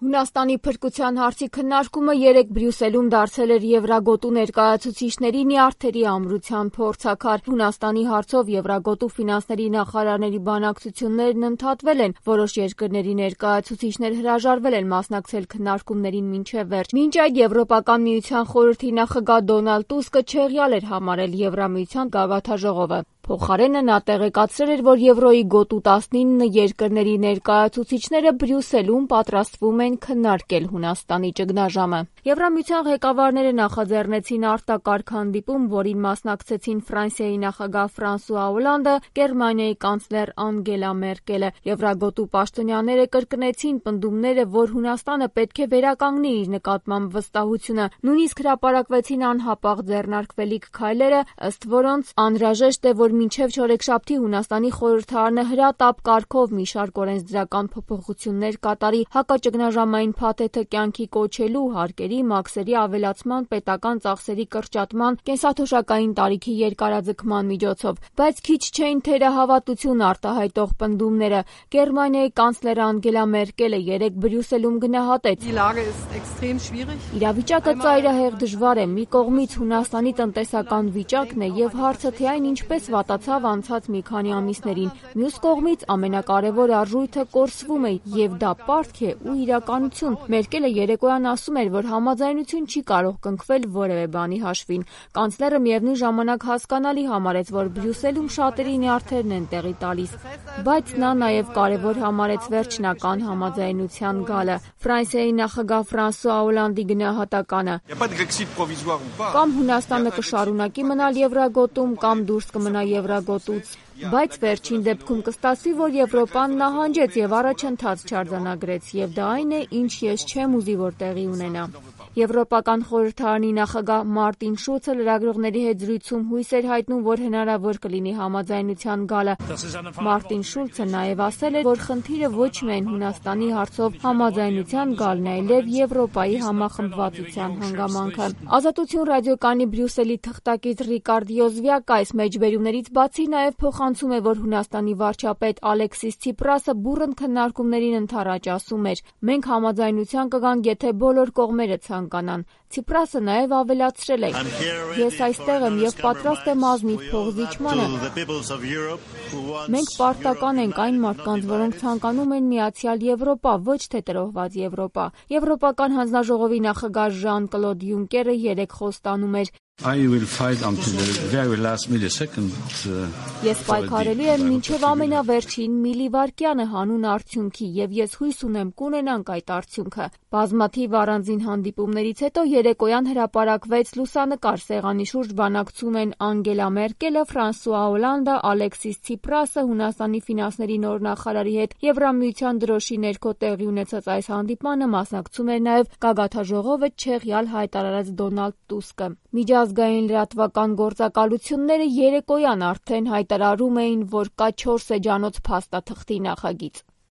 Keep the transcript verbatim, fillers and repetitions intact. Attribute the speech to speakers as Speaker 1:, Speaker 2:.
Speaker 1: Հունաստանի փրկության հարցի քննարկումը երեկ Բրյուսելում դարձել էր Եվրագոտու ներկայացուցիչների նյարդերի ամրության փորձաքար։ Հունաստանի հարցով Եվրագոտու ֆինանսների նախարարների բանակցություններն ընդհատվել են, որոշ երկրների ներկայացուցիչներ հրաժարվել են մասնակցել քննարկումներին մինչև վերջ։ Մինչ այդ Եվրոպական միության խորհրդի նախագահ Դոնալդ Տուսկը չեղյալ էր համարել Եվրամիության գագաթնաժողովը։ Փոխարենը նա տեղեկացրել էր, որ Եվրոյի գոտու տասնինը երկրների ներկայացուցիչները Բրյուսելում պատրաստվում են քննարկել Հունաստանի ճգնաժամը։ Եվրամիության ղեկավարները նախաձեռնեցին արտակարգ հանդիպում, որին մասնակցեցին Ֆրանսիայի նախագահ Ֆրանսուଆ Օլանդը, Գերմանիայի կանցլեր Անգելա Մերկելը։ Եվրագոտու պաշտոնյաները կրկնեցին պնդումները, որ Հունաստանը պետք է վերականգնի իր նկատմամբ վստահությունը։ Նույնիսկ հրապարակվեցին անհապաղ ձեռնարկվելիք քայլերը, ըստ որոնց անհրաժեշտ է, որ մինչև չորեքշաբթի Հունաստանի խորհրդարանը հրատապ կարգով մի շարք օրենսդրական փոփոխություններ կատարի հակաճգնաժամային փաթեթը կյանքի կոչելու, հարկերի, մաքսերի ավելացման, պետական ծախսերի կրճատման, կենսաթոշակային տարիքի երկարաձգման միջոցով։ Բայց քիչ չէին թերահավատություն արտահայտող պնդումները։ Գերմանիայի կանցլեր Անգելա Մերկելը երեկ Բրյուսելում գնահատեց. Իրավիճակը ծայրահեղ դժվար է։ Մի կողմից Հունաստանի տնտեսական վիճակն է եւ հարցը թե այն ինչպես վատացավ անցած մի քանի ամիսներին։ Մյուս կողմից ամենակարևոր արժույթը կորսվում է եւ դա պարտք է ու իրականություն։ Մերկելը երեկոյան ասում էր, որ համաձայնություն չի կարող կնքվել որևէ բանի հաշվին։ Կանցլերը միևնույն ժամանակ հասկանալի համարեց, որ Բրյուսելում շատերի նյարդերն են տեղի տալիս, բայց նա նաեւ կարևոր համարեց վերջնական համաձայնության գալը։ Ֆրանսիայի նախագահ Ֆրանսուଆ Օլանդի գնահատականը. Կամ Հունաստանը կշարունակի մնալ Եվրագոտում, կամ դուրս կմնա Եվրագոտուց, բայց վերջին դեպքում կստացվի, որ Եվրոպան նահանջեց եւ առաջընթաց չարձանագրեց, եւ դա այն է, ինչ ես չեմ ուզի, որ տեղի ունենա։ Եվրոպական խորհրդարանի նախագահ Մարտին Շուլցը լրագրողների հետ զրույցում հույս էր հայտնում, որ հնարավոր կլինի համաձայնության գալը։ Մարտին Շուլցը նաեւ ասել է, որ խնդիրը ոչ միայն Հունաստանի հարցով համաձայնության գալն է, այլև Եվրոպայի համախմբվածության հանգամանքը։ Ազատություն ռադիոկայանի Բրյուսելի թղթակից Ռիկարդ Յոզվյակը այս մեջբերումներից բացի նաեւ փոխանցում է, որ Հունաստանի վարչապետ Ալեքսիս Ցիպրասը բուռն քննարկումներին ընդառաջ ասում էր. Մենք համաձայնության կգանք, եթե բոլոր կողմերը ցանկանան։ Ցիպրասը նաեւ ավելացրել է. Ես այստեղ եմ եւ պատրաստ եմ ազնիվ փոխզիջմանը։ Մենք պարտական ենք այն մարդկանց, որոնք ցանկանում են միացյալ Եվրոպա, ոչ թե տրոհված Եվրոպա։ Եվրոպական հանձնաժողովի նախագահ Ժան-Կլոդ Յունկերը երեկ խոստանում էր. Ես պայքարելու եմ մինչև ամենավերջին միլիվարկյանը հանուն արդյունքի եւ ես հույս ունեմ կունենանք այդ արդյունքը։ Բազմաթիվ առանձին հանդիպումներից հետո երեկոյան հրապարակվեց լուսանկար սեղանի շուրջ բանակցում են Անգելա Մերկելը, Ֆրանսուଆ Օլանդը, Ալեքսիս Ցիպրասը, Հունաստանի ֆինանսների նոր նախարարի հետ Եվրամիության դրոշի ներքո տեղի ունեցած այս հանդիպմանը մասնակցում էր նաեւ գագաթնաժողովը չեղյալ հայտարարած Դոնալդ Տուսկը։ Միջազգային լրատվական գործակալությունները երեկոյան արդեն հայտարարում էին, որ կա չորս էջանոց փաստաթղթի նախագիծ։